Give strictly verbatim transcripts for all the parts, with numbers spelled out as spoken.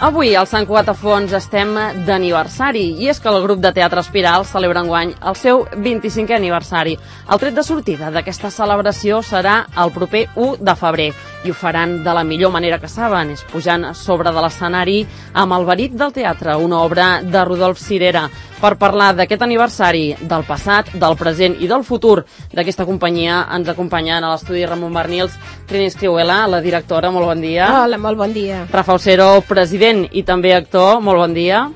Avui al Sant Cugat a Fons estem d'aniversari i és que el grup de teatre Espiral celebra enguany el seu vint-i-cinquè aniversari. El tret de sortida d'aquesta celebració serà el proper u de febrer i ho faran de la millor manera que saben, és pujant sobre de l'escenari amb El verí del teatre, una obra de Rodolf Cirera. Per parlar d'aquest aniversari, del passat, del present i del futur d'aquesta companyia, ens acompanyen a l'estudi Ramon Barnils, Trini Escrihuela, la directora, molt bon dia. Hola, molt bon dia. Rafa Osero, president i també actor, molt bon dia.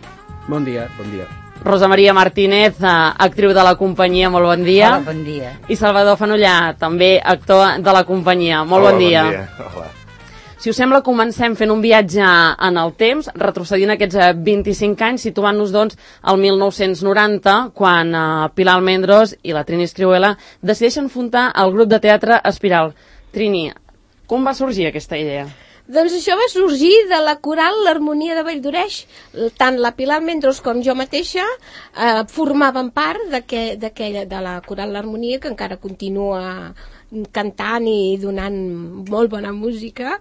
Bon dia, bon dia. Rosa Maria Martínez, actriu de la companyia, molt bon dia. Hola, bon dia. I Salvador Fanollà, també actor de la companyia, molt Hola, bon dia. Bon dia. Hola. Si us sembla, comencem fent un viatge en el temps, retrocedint aquests vint-i-cinc anys, situant-nos, doncs, al mil nou-cents noranta, quan uh, Pilar Almendros i la Trini Escrihuela decideixen fundar el grup de teatre Espiral. Trini, com va sorgir aquesta idea? Doncs això va sorgir de la coral l'Harmonia de Valldoreix. Tant la Pilar Almendros com jo mateixa eh, formaven part d'aquella de la coral l'Harmonia, que encara continua cantant i donant molt bona música,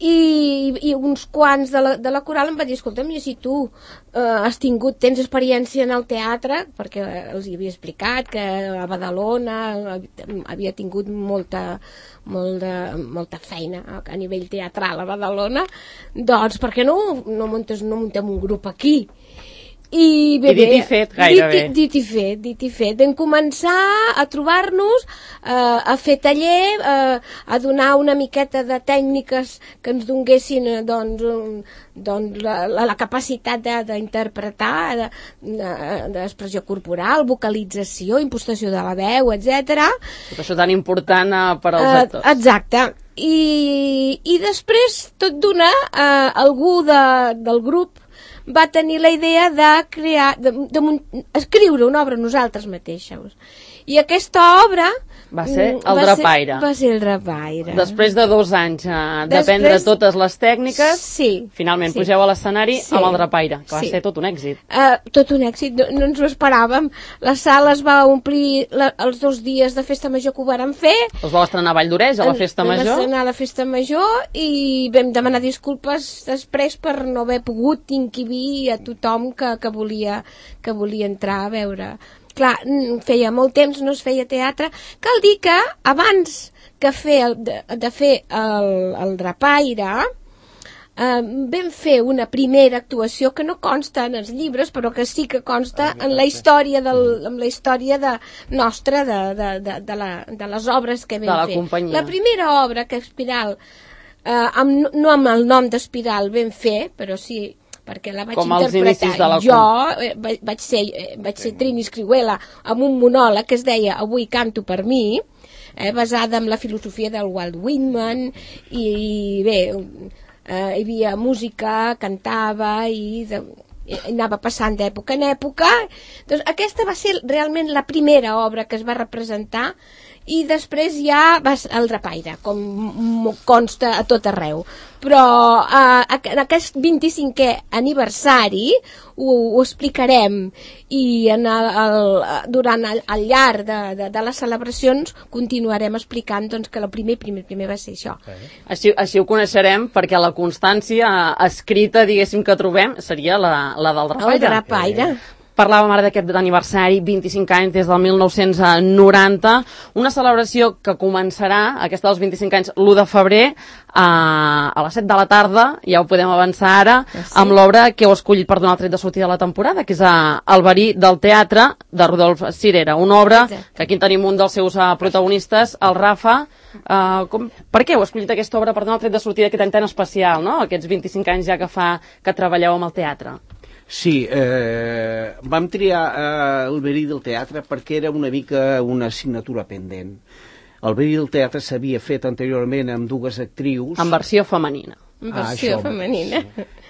i, i uns quants de la, de la coral em va dir, escolta'm, i si tu eh, has tingut, tens experiència en el teatre, perquè els hi havia explicat que a Badalona havia tingut molta, molta, molta feina a nivell teatral a Badalona, doncs per què no, no, muntes, no muntem un grup aquí? I, bé, I dit i fet, gairebé. Dit, dit i fet, dit i fet. Vam començar a trobar-nos, eh, a fer taller, eh, a donar una miqueta de tècniques que ens donguessin eh, doncs, un, doncs la, la, la capacitat d'interpretar, d'expressió de, corporal, vocalització, impostació de la veu, etcètera. Tot això tan important eh, per als actors. Eh, exacte. I, i després, tot d'una, eh, algú de, del grup va tenir la idea de crear, de, de, de escriure una obra nosaltres mateixos. I aquesta obra va ser el Drapaire. Va ser el Drapaire. Després de dos anys eh, d'aprendre Després... totes les tècniques, sí, finalment sí. pugeu a l'escenari sí. amb el Drapaire, que va sí. ser tot un èxit. Uh, tot un èxit, no, no ens ho esperàvem. La sala es va omplir la, els dos dies de festa major que ho vàrem fer. Us vau estrenar a Valldoreix, a la festa major? Vam estrenar a la festa major i vam demanar disculpes després per no haver pogut inquibir a tothom que, que, volia, que volia entrar a veure. Clar, feia molt temps no es feia teatre. Cal dir que abans que fer el, de, de fer el, el Drapaire eh, vam fer una primera actuació que no consta en els llibres, però que sí que consta en la història, del, en la història de, nostra de, de, de, de, la, de les obres que vam de la fer. Companyia. La primera obra que Espiral, eh, amb, no amb el nom d'Espiral vam fer, però sí perquè la vaig com interpretar la... jo, eh, vaig ser, eh, vaig ser Trini Escrihuela amb un monòleg que es deia Avui canto per mi, eh, basada en la filosofia del Walt Whitman, i, i bé, eh, hi havia música, cantava i, de, i anava passant d'època en època. Doncs aquesta va ser realment la primera obra que es va representar, i després ja va el Drapaire, com consta a tot arreu. Però eh, en aquest vint-i-cinquè aniversari ho, ho explicarem, i en el, el, durant el, el llarg de, de, de les celebracions continuarem explicant doncs, que el primer, primer, primer va ser això. Així, així ho coneixerem, perquè la constància escrita, diguéssim, que trobem seria la, la del Drapaire. El Drapaire. Parlàvem ara d'aquest aniversari, vint-i-cinc anys des del mil nou-cents noranta, una celebració que començarà, aquesta dels vint-i-cinc anys, l'u de febrer, a, a les set de la tarda, ja ho podem avançar ara, sí. amb l'obra que heu escollit per donar el tret de sortida de la temporada, que és a, El verí del teatre, de Rodolf Cirera, una obra Exacte. que aquí tenim un dels seus uh, protagonistes, el Rafa. Uh, com, per què heu escollit aquesta obra per donar el tret de sortida aquest any tan especial, no? Aquests vint-i-cinc anys ja que fa que treballeu amb el teatre? Sí, eh, vam triar eh, El verí del teatre perquè era una mica una assignatura pendent. El verí del teatre s'havia fet anteriorment amb dues actrius. En versió femenina. En versió ah, femenina.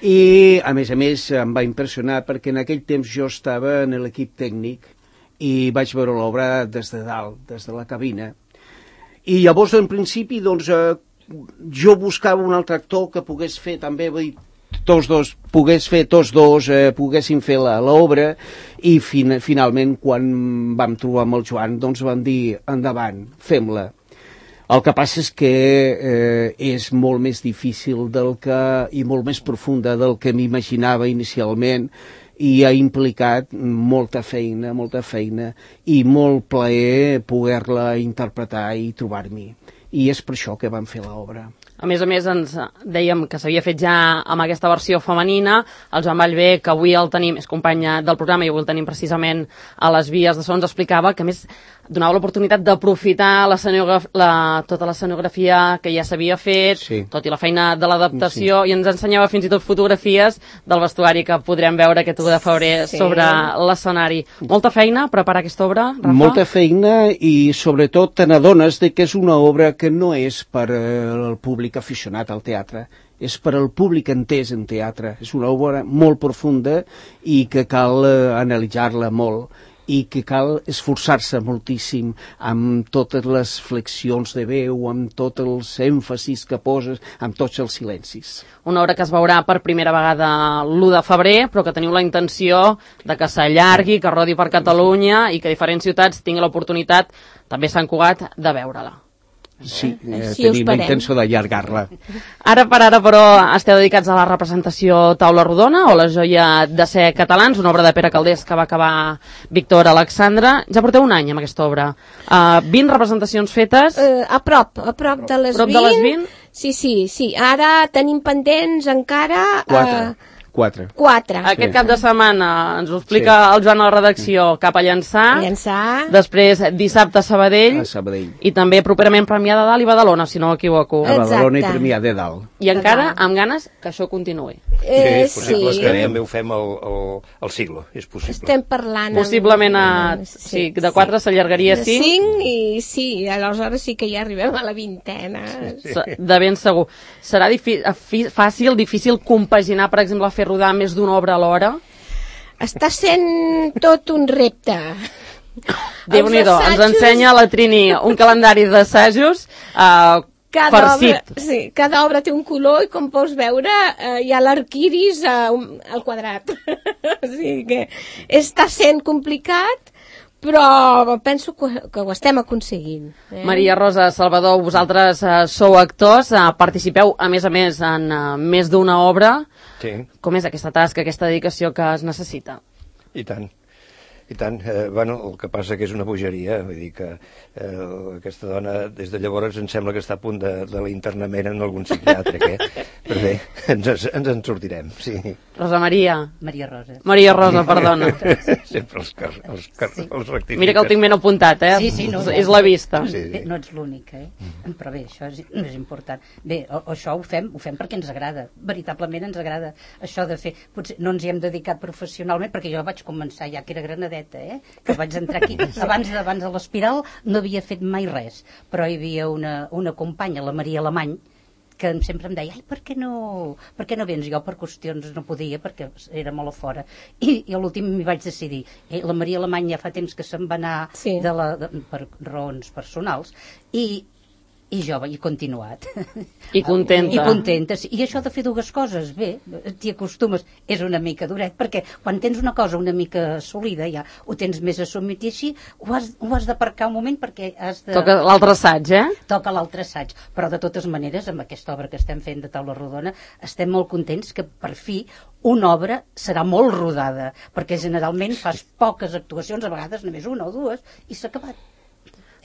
I, a més a més, em va impressionar perquè en aquell temps jo estava en l'equip tècnic i vaig veure l'obra des de dalt, des de la cabina. I llavors, en principi, doncs, eh, jo buscava un altre actor que pogués fer també, vull dir, tots dos, pogués fer tots dos, eh, poguessin fer l'obra, i fin finalment quan vam trobar amb el Joan doncs vam dir endavant, fem-la. El que passa és que eh, és molt més difícil del que, i molt més profunda del que m'imaginava inicialment, i ha implicat molta feina, molta feina i molt plaer poder-la interpretar i trobar-m'hi. I és per això que vam fer l'obra. A més a més, ens dèiem que s'havia fet ja amb aquesta versió femenina. El Joan Vallvé, que avui el tenim, és company del programa i avui el tenim precisament a les vies de so, ens explicava que a més donava l'oportunitat d'aprofitar la, la, tota l'escenografia que ja s'havia fet, sí. tot i la feina de l'adaptació, sí. i ens ensenyava fins i tot fotografies del vestuari que podrem veure aquest u de febrer sí. sobre l'escenari. Molta feina preparar aquesta obra, Rafa? Molta feina i sobretot te n'adones de que és una obra que no és per al públic aficionat al teatre, és per al públic entès en teatre. És una obra molt profunda i que cal eh, analitzar-la molt i que cal esforçar-se moltíssim amb totes les flexions de veu, amb tots els èmfasis que poses, amb tots els silencis. Una obra que es veurà per primera vegada l'u de febrer, però que teniu la intenció de que s'allargui, que rodi per Catalunya i que diferents ciutats tinguin l'oportunitat, també Sant Cugat, de veure-la. Sí, eh, sí tenim la intenció d'allargar-la. Ara per ara, però, esteu dedicats a la representació Taula Rodona o la joia de ser catalans, una obra de Pere Calders que va acabar Víctor Alexandre. Ja porteu un any amb aquesta obra. Uh, vint representacions fetes. Uh, a prop, a prop de les prop vint. De les vint. Sí, sí, sí. Ara tenim pendents encara... Quatre. Uh, Quatre. Quatre. Aquest sí. cap de setmana ens ho explica sí. el Joan a la redacció, cap a Llançà. Llançà. Després dissabte a Sabadell. A Sabadell. I també properament Premià de Dalt i Badalona, si no m'equivoco. A Badalona i Premià de Dalt. I encara amb ganes que això continuï. Eh, sí, és possible sí. que també ho fem al, al, al siglo, és possible. Estem parlant... Possiblement a... Sí, sí, de quatre sí. s'allargaria a cinc. De cinc i sí, aleshores sí que ja arribem a la vintena. Sí, sí. De ben segur. Serà fàcil, difícil compaginar, per exemple, fer rodar més d'una obra a l'hora? Està sent tot un repte. Déu-n'hi-do, ens ensenya la Trini un calendari d'assajos uh, farcit. Obra, sí, cada obra té un color i com pots veure uh, hi ha l'arquiris uh, al quadrat. O sigui que està sent complicat, però penso que, que ho estem aconseguint. Eh? Maria Rosa, Salvador, vosaltres uh, sou actors, uh, participeu a més a més en uh, més d'una obra. Sí. Com és aquesta tasca, aquesta dedicació que es necessita? I tant. I tant, eh, bueno, el que passa que és una bogeria, vull dir que eh, aquesta dona des de llavors em sembla que està a punt de, de l'internament en algun psiquiatre, eh? Però bé, ens, ens en sortirem, sí. Rosa Maria. Maria Rosa. Maria Rosa, perdona. Sempre els, car els, car sí. els rectifiques. Mira que el tinc ben apuntat, eh? Sí, sí, no, és la vista. Sí, sí. No ets l'únic, eh? Mm. Però bé, això és, no és important. Bé, o, això ho fem, ho fem perquè ens agrada, veritablement ens agrada això de fer. Potser no ens hi hem dedicat professionalment, perquè jo vaig començar ja que era granadeta, eh? Que vaig entrar aquí. Abans, abans de l'Espiral no havia fet mai res, però hi havia una, una companya, la Maria Alemany, que sempre em deia, ai, per què no, per què no vens? Jo per qüestions no podia, perquè era molt a fora. I, i a l'últim m'hi vaig decidir. Eh, la Maria Alemany ja fa temps que se'n va anar sí. de la, de, per raons personals, i i jo he continuat. I contenta. I contenta, sí. I això de fer dues coses, bé, t'hi acostumes. És una mica duret, perquè quan tens una cosa una mica assolida, ja ho tens més assumit, i així ho has, ho has d'aparcar un moment perquè has de... Toca l'altre assaig, eh? Toca l'altre assaig. Però de totes maneres, amb aquesta obra que estem fent de Taula Rodona, estem molt contents que per fi una obra serà molt rodada, perquè generalment fas poques actuacions, a vegades només una o dues, i s'ha acabat.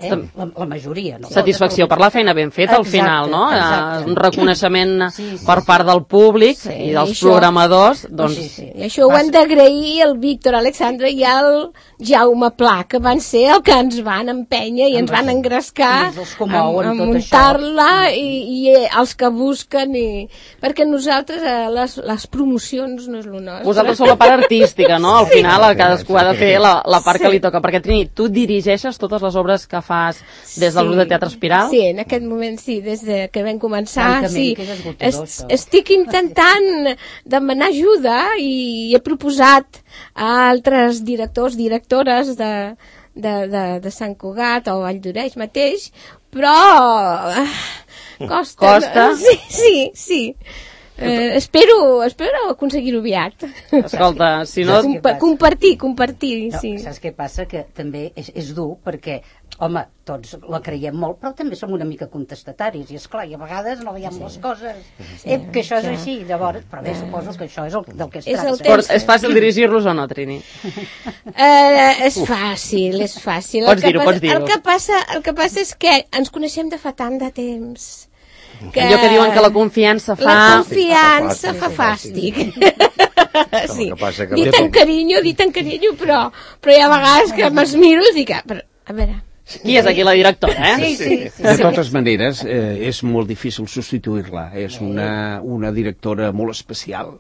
Eh? La, la majoria, no? Satisfacció per la feina ben feta al final, no? Exacte. Un reconeixement sí, sí, per part del públic sí, i dels això, programadors, doncs... Sí, sí. I això ho hem d'agrair al Víctor Alexandre i al Jaume Pla, que van ser el que ens van empènyer i ens van engrescar a, a muntar-la i, i els que busquen i... perquè nosaltres eh, les, les promocions no és el nostre. Vosaltres sou la part artística, no? Al final sí. cadascú ha de fer la, la part sí. que li toca, perquè Trini, tu dirigeixes totes les obres que fas des del grup sí. de Teatre Espiral? Sí, en aquest moment sí, des de que vam començar, sí. Es, estic intentant demanar ajuda i he proposat a altres directors, directores de, de, de, de Sant Cugat o Vall d'Oreix mateix, però costa. Costa? Sí, sí, sí. Eh, espero, espero aconseguir-ho aviat. Escolta, si no... Compa compartir, compartir, no, sí. Saps què passa? Que també és, és dur perquè home, tots la creiem molt, però també som una mica contestataris, i esclar, i a vegades no veiem les coses, eh, que això és així, llavors, però bé, suposo que això és el, del que es És el tracta. Però és fàcil dirigir-los o no, Trini? Eh, és fàcil, és fàcil. Pots El que dir-ho, passa- pots dir-ho. El que passa, el que passa és que ens coneixem de fa tant de temps. Que... Allò que diuen que la confiança fa... La confiança Sí, fa sí, fàstic. Sí. El que passa que- Dit amb carinyo, dit amb carinyo, però, però hi ha vegades que me'ls miro i dic, "Ah, però, a veure, Qui és aquí la directora, eh? Sí, sí, sí. De totes maneres, eh, és molt difícil substituir-la. És una, una directora molt especial.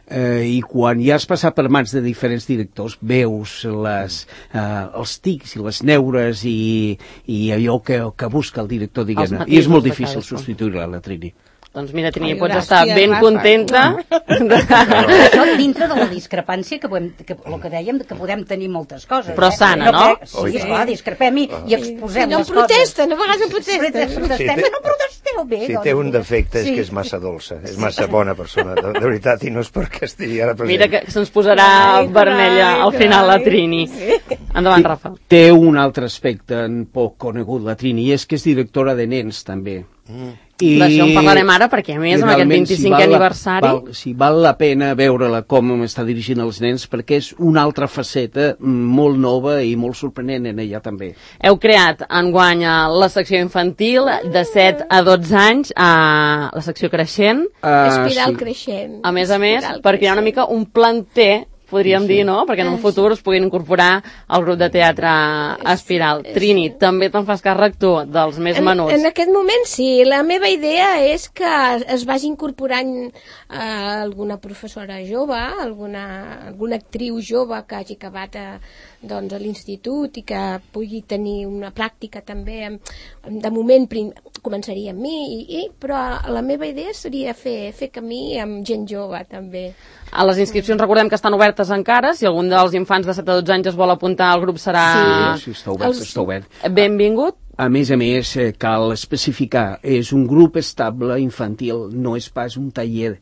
Eh, I quan ja has passat per mans de diferents directors, veus les, eh, els tics i les neures i, i allò que, que busca el director, diguem-ne. Els I és molt matisos de difícil cadascun. substituir-la, la Trini. Doncs mira, Trini, Ai, pots gràcies, estar ben Rafa. contenta. Això dintre de la discrepància que, podem, que el que dèiem, que podem tenir moltes coses. Però eh? sana, Jo no? crec- Sí, esclar, discrepem i, i exposem no les coses. protesten, a vegades no protesten. Protestem, Sí, té- no protesteu bé. Si doncs, té un mira. defecte és Sí. que és massa dolça, és massa bona persona, de, de veritat, i no és perquè estigui ara present. Mira que se'ns posarà Ai, vermella al carai, final la carai. Trini. Endavant, Rafa. Té un altre aspecte en poc conegut, la Trini, i és que és directora de nens, també. Mm. I D'això en parlarem ara, perquè a més, i amb aquest realment, vint-i-cinquè val la- aniversari... Val, sí, val la pena veure-la com està dirigint els nens, perquè és una altra faceta molt nova i molt sorprenent en ella també. Heu creat enguany eh, la secció infantil de set a dotze anys, a la secció creixent, Uh, Espiral creixent. a més a més, Espiral perquè hi ha una creixent. mica un planter, podríem dir, no? Perquè en un futur es puguin incorporar al grup de teatre Espiral. Trini, també te'n fas càrrec tu, dels més En, menuts. en aquest moment sí, la meva idea és que es vagi incorporant eh, alguna professora jove, alguna, alguna actriu jove que hagi acabat a, doncs, a l'institut i que pugui tenir una pràctica també. De moment prim, començaria amb mi, i, i, però la meva idea seria fer, fer camí amb gent jove també. A les inscripcions recordem que estan obertes encara, si algun dels infants de set a dotze anys es vol apuntar al grup serà Sí, sí, està obert, Els- està obert. benvingut. A més a més, eh, cal especificar, és un grup estable infantil, no és pas un taller.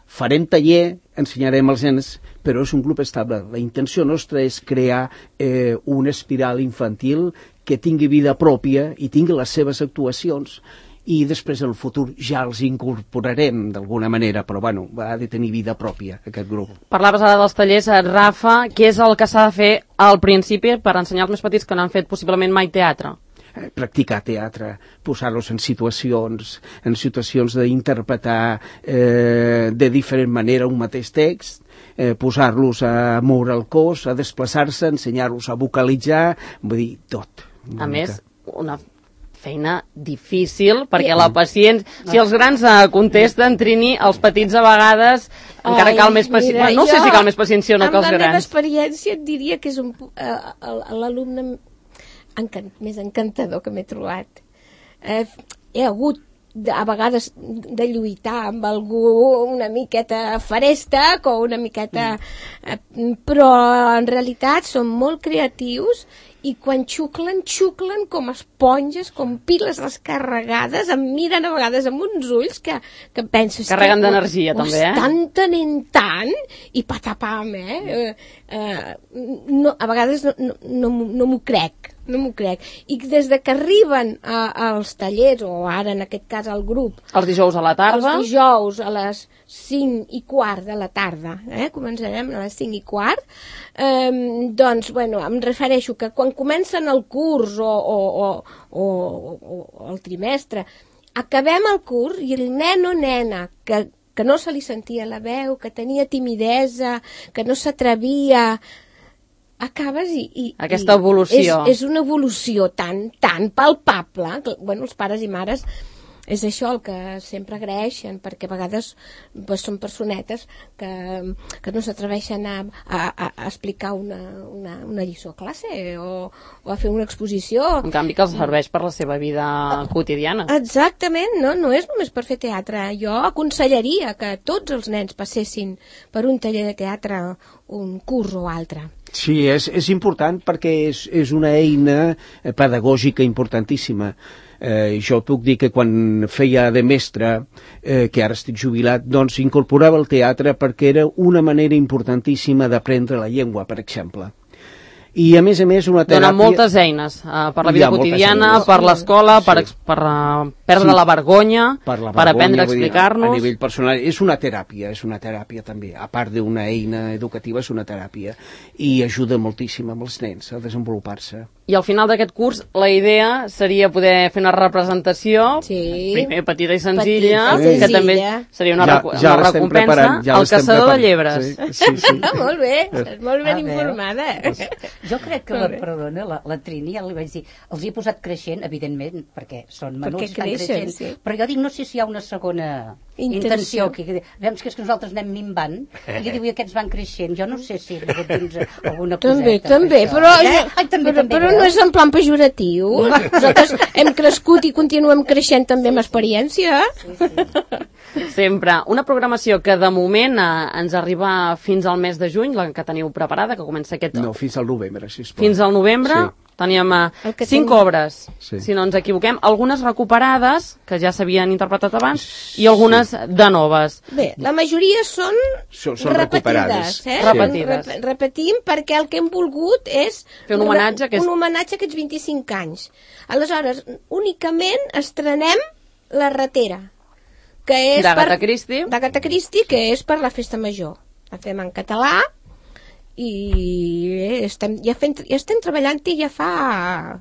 Farem taller, ensenyarem als nens, però és un grup estable. La intenció nostra és crear eh, una espiral infantil que tingui vida pròpia i tingui les seves actuacions, i després en el futur ja els incorporarem d'alguna manera, però bueno, ha de tenir vida pròpia aquest grup. Parlaves ara dels tallers, eh, Rafa, què és el que s'ha de fer al principi per ensenyar als més petits que no han fet possiblement mai teatre? Eh, practicar teatre, posar-los en situacions, en situacions d'interpretar eh, de diferent manera un mateix text, eh, posar-los a moure el cos, a desplaçar-se, ensenyar-los a vocalitzar, vull dir, tot. A més, una feina difícil, perquè la paciència... Si els grans eh, contesten, Trini, els petits a vegades encara Ai, cal més paciència. mira, No sé jo, si cal més paciència o no que els Amb la meva grans. experiència et diria que és un, eh, l'alumne encant, més encantador que m'he trobat. Eh, he hagut de, a vegades de lluitar amb algú una miqueta faresta o una miqueta... Eh, però en realitat són molt creatius i quan xuclen, xuclen com esponges, com piles descarregades, em miren a vegades amb uns ulls que, que penses... Carreguen que ho- d'energia, ho també, eh? estan tenint tant i patapam, eh? eh, eh no, a vegades no, no, no, m'ho- no m'ho crec, no m'ho crec. I des de que arriben a, als tallers, o ara en aquest cas al grup, Els dijous a la tarda. els dijous a les cinc i quart de la tarda, eh? Començarem a les cinc i quart, eh, doncs, bueno, em refereixo que quan comencen el curs o, o, o, o, o el trimestre, acabem el curs i el nen o nena que, que no se li sentia la veu, que tenia timidesa, que no s'atrevia, acabes i... i Aquesta i evolució. És, és una evolució tan, tan palpable, que, bueno, els pares i mares és això el que sempre agraeixen, perquè a vegades pues, són personetes que, que no s'atreveixen a, a, a explicar una, una, una lliçó a classe o, o a fer una exposició. En canvi, que els serveix per la seva vida quotidiana. Exactament, no, no és només per fer teatre. Jo aconsellaria que tots els nens passessin per un taller de teatre, un curs o altre. Sí, és, és important perquè és, és una eina pedagògica importantíssima. Eh, jo puc dir que quan feia de mestre, eh, que ara estic jubilat, doncs incorporava el teatre perquè era una manera importantíssima d'aprendre la llengua, per exemple. I, a més a més, una teràpia... Dona moltes eines, uh, per la vida quotidiana, eines. per l'escola, Sí. per, ex- per uh, perdre Sí. la vergonya, per, la per aprendre a vull dir, explicar-nos. A nivell personal, és una teràpia, és una teràpia també. A part d'una eina educativa, és una teràpia. I ajuda moltíssim amb els nens a desenvolupar-se. I al final d'aquest curs la idea seria poder fer una representació, Sí. primer petita i senzilla, Petita i que també senzilla. seria una, Ja- recu- ja una l'estem recompensa preparant, ja al l'estem caçador de preparant. llebres. Sí, sí, sí. Ah, molt bé, estàs molt ben A veure. informada. Jo crec que, Molt la, bé. perdona, la, la Trini, ja li vaig dir, els hi he posat creixent, evidentment, perquè són menuts, Perquè estan creixen, creixent, sí. però jo dic, no sé si hi ha una segona Intenció. intenció, que, que, veus que és que nosaltres anem minvant, i diu, i aquests van creixent, jo no sé si hi ha hagut dins alguna coseta. També, per també, això. però, Eh? Ai, també, però, també, però veus? no és en plan pejoratiu. Nosaltres hem crescut i continuem creixent també amb experiència. Sempre. Una programació que de moment eh, ens arriba fins al mes de juny, la que teniu preparada, que comença aquest... No, fins al novembre, sisplau. Fins al novembre. Sí. Teníem eh, El que cinc tenim- obres, Sí. si no ens equivoquem, algunes recuperades, que ja s'havien interpretat abans, i algunes de noves. Bé, la majoria són, Són- són repetides. recuperades. Eh? Sí. Repetides. Rep repetim perquè el que hem volgut és Fer un homenatge que és- un homenatge a aquests vint-i-cinc anys. Aleshores, únicament estrenem La ratera, que és D'Agatha per- Christie. d'Agatha Christie, que és per la festa major. La fem en català i bé, estem, ja, fent, ja estem treballant-hi ja fa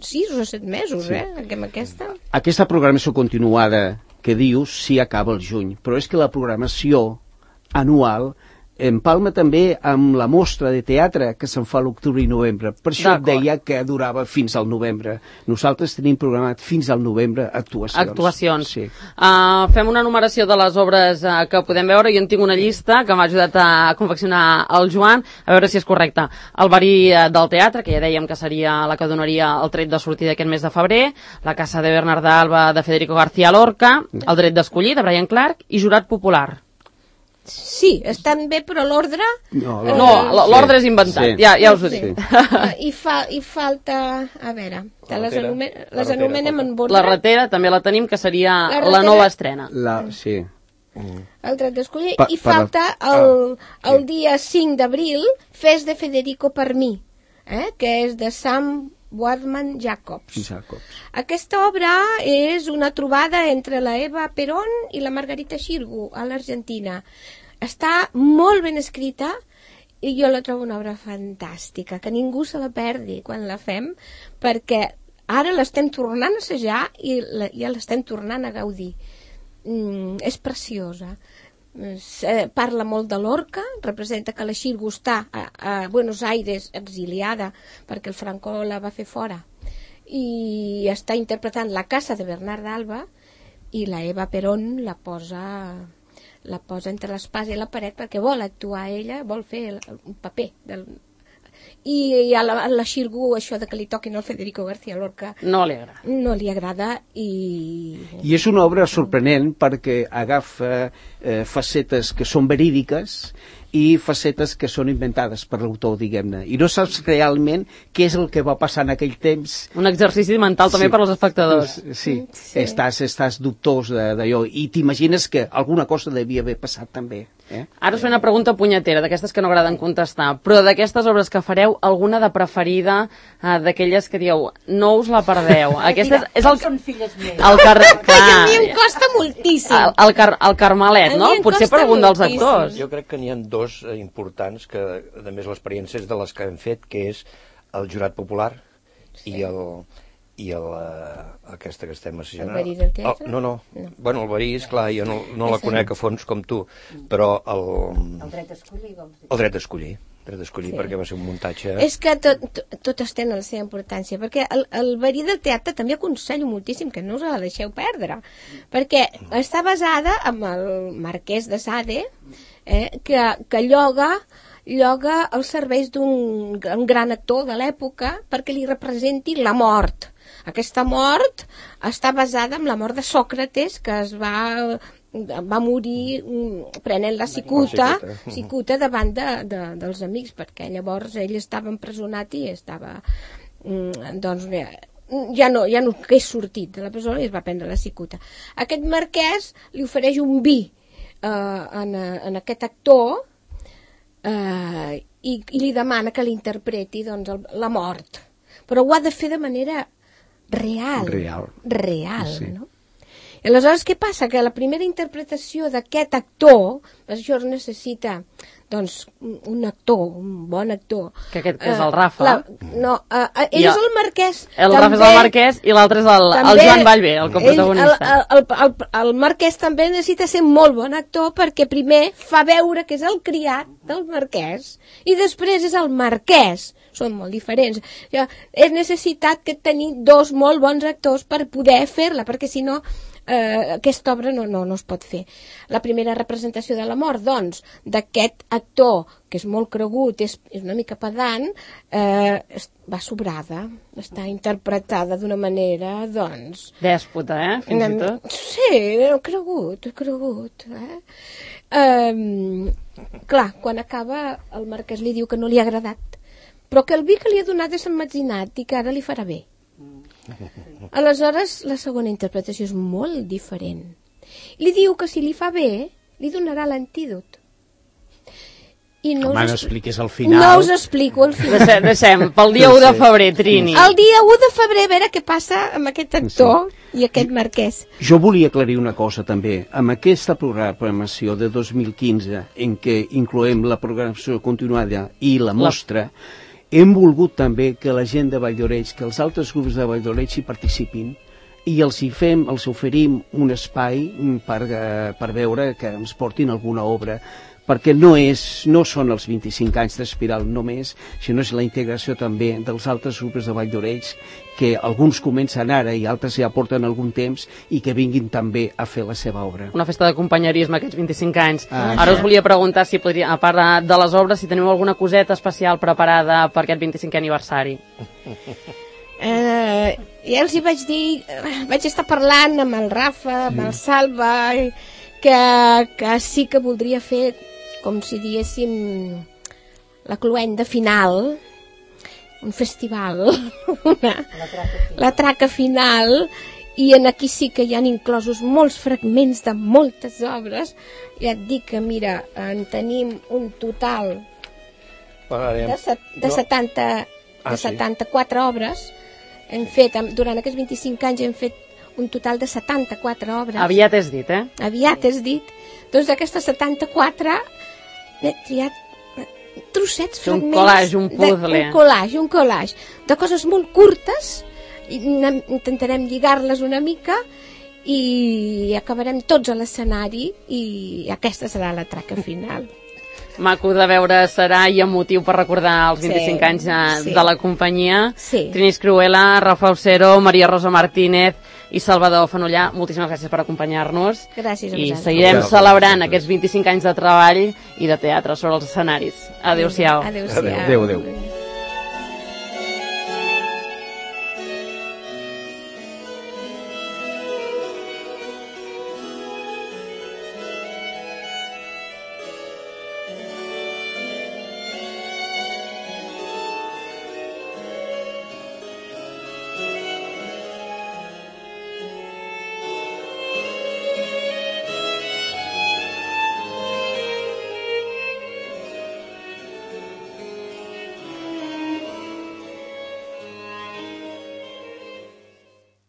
sis o set mesos, Sí. eh? Amb aquesta. Aquesta programació continuada que dius sí acaba el juny, però és que la programació anual empalma també amb la mostra de teatre que se'n fa a l'octubre i novembre. Per això et D'acord. deia que durava fins al novembre. Nosaltres tenim programat fins al novembre actuacions. Actuacions. Sí. Uh, fem una numeració de les obres uh, que podem veure. Jo en tinc una llista que m'ha ajudat a confeccionar el Joan, a veure si és correcte. El verí uh, del teatre, que ja dèiem que seria la que donaria el tret de sortida aquest mes de febrer, La casa de Bernarda Alba de Federico García Lorca, El dret d'escollir de Brian Clark i Jurat popular. Sí, estan bé, però l'ordre... No, Eh, No, l- l'ordre és inventat, Sí. ja, ja us ho Sí. dic. I, fa, I falta... A veure, te La les, ratera. anomen, La les ratera anomenem falta. en ordre. La ratera també la tenim, que seria La la, ratera- nova estrena. La, sí. El dret d'escollir. Pa- I per la- falta el, Ah, el sí. dia cinc d'abril, Fes de Federico per mi, eh? que és de Sam Wadman Jacobs. Jacobs. Aquesta obra és una trobada entre la Eva Perón i la Margarita Xirgu a l'Argentina. Està molt ben escrita i jo la trobo una obra fantàstica, que ningú se la perdi quan la fem, perquè ara l'estem tornant a assajar i la, ja l'estem tornant a gaudir. Mm, és preciosa. Es, eh, parla molt de Lorca, representa que la Xirgu està a, a Buenos Aires exiliada perquè el Franco la va fer fora, i està interpretant La casa de Bernarda Alba, i la Eva Perón la posa la posa entre l'espasa i la paret perquè vol actuar ella, vol fer el, un paper del... i a la, a la Xirgu això de que li toquin el Federico García Lorca No li agrada. no li agrada i... I és una obra sorprenent perquè agafa eh, facetes que són verídiques i facetes que són inventades per l'autor, diguem-ne. I no saps realment què és el que va passar en aquell temps. Un exercici mental també Sí. per als espectadors. Sí, Sí. Estàs, estàs dubtós de- d'allò i t'imagines que alguna cosa devia haver passat també. Eh? Ara us faré una pregunta punyetera, d'aquestes que no agraden contestar, però d'aquestes obres que fareu, alguna de preferida, eh, d'aquelles que dieu, no us la perdeu. Aquesta és, és el, Són filles meves. el, car, que a mi em clar, costa moltíssim. el, el, car, el Carmelet, A no? mi em Potser costa per algun dels moltíssim. actors. Jo crec que n'hi ha dos eh, importants, que a més l'experiència és de les que hem fet, que és el jurat popular i el i el, uh, aquesta que estem assajant. El verí del teatre? El, no, no, No. Bueno, el verí, és clar, jo no, no la És conec a fons com tu, però el, El dret d'escollir, vols dir? el dret d'escollir, el dret d'escollir Sí. perquè va ser un muntatge... És que tot, tot, totes tenen la seva importància, perquè el, el verí del teatre també aconsello moltíssim que no us la deixeu perdre, perquè està basada en el marquès de Sade, eh, que, que lloga lloga els serveis d'un un gran actor de l'època perquè li representi la mort. Aquesta mort està basada en la mort de Sòcrates, que es va va morir mm, prenent la cicuta, La cicuta. cicuta davant de, de, dels amics, perquè llavors ell estava empresonat i estava mm, doncs bé, ja no, ja no hagués sortit de la presó i es va prendre la cicuta. Aquest marquès li ofereix un vi eh, en, en aquest actor eh, i, i li demana que l'interpreti doncs, el, la mort. Però ho ha de fer de manera real. Real. Real, Sí. no? I aleshores què passa? Que la primera interpretació d'aquest actor, això es necessita doncs, un actor, un bon actor. Que aquest és el Rafa. La, no, uh, ell I és el Marquès. El també, Rafa és el Marquès i l'altre és el, el Joan Vallvé, el coprotagonista. Ell, el, el, el, el Marquès també necessita ser molt bon actor perquè primer fa veure que és el criat del Marquès i després és el Marquès. Són molt diferents. Ja, és necessitat que tenir dos molt bons actors per poder fer-la, perquè si no eh, aquesta obra no, no, no es pot fer. La primera representació de la mort, doncs, d'aquest actor, que és molt cregut, és, és una mica pedant, eh, va sobrada, està interpretada d'una manera, doncs... Dèspota, eh? Fins una, i tot. Sí, cregut, cregut. Eh? Um, clar, quan acaba, el Marquès li diu que no li ha agradat, però que el vi que li ha donat és emmetzinat i que ara li farà bé. Aleshores, la segona interpretació és molt diferent. Li diu que si li fa bé, li donarà l'antídot. I no Home, us no expl- expliquis al final. No us explico el final. Deixem, deixem, pel dia u de febrer, Trini. El dia u de febrer, a veure què passa amb aquest actor sí. i aquest Marquès. Jo volia aclarir una cosa també. Amb aquesta programació de dos mil quinze, en què incloem la programació continuada i la mostra, la... hem volgut també que la gent de Valldoreix, que els altres grups de Valldoreix hi participin i els hi fem, els oferim un espai per, eh, per veure que ens portin alguna obra, perquè no, és, no són els vint-i-cinc anys d'Espiral només, sinó és la integració també dels altres grups de Valldoreix, que alguns comencen ara i altres ja porten algun temps i que vinguin també a fer la seva obra. Una festa de companyerisme aquests vint-i-cinc anys. Ah, Ara us volia preguntar si podria, a part de les obres, si teniu alguna coseta especial preparada per aquest vint-i-cinquè aniversari. Eh, ja els hi vaig dir, vaig estar parlant amb el Rafa, amb el Salva, que, que sí que voldria fer, com si diéssim, la cluenda final, un festival, una, La traca final. la traca final, i en aquí sí que hi han inclosos molts fragments de moltes obres. Ja et dic que, mira, en tenim un total de, set, de, setanta, Ah, de sí? setanta-quatre obres. Hem fet, durant aquests vint-i-cinc anys hem fet un total de setanta-quatre obres. Aviat és dit, eh? Aviat és dit. Doncs d'aquestes setanta-quatre n'he triat trossets, Un fragments... collage, un puzzle. De, un collage, un collage. De coses molt curtes, i intentarem lligar-les una mica i acabarem tots a l'escenari i aquesta serà la traca final. Maco de veure serà i emotiu per recordar els vint-i-cinc Sí, anys de, sí. de la companyia. Sí. Trini Escrihuela, Rafa Ocero, Maria Rosa Martínez i Salvador Fanollà, moltíssimes gràcies per acompanyar-nos. Gràcies a I vosaltres. seguirem Gràcies. celebrant aquests vint-i-cinc anys de treball i de teatre sobre els escenaris. Adéu-siau. Adéu-siau. Adéu, adéu.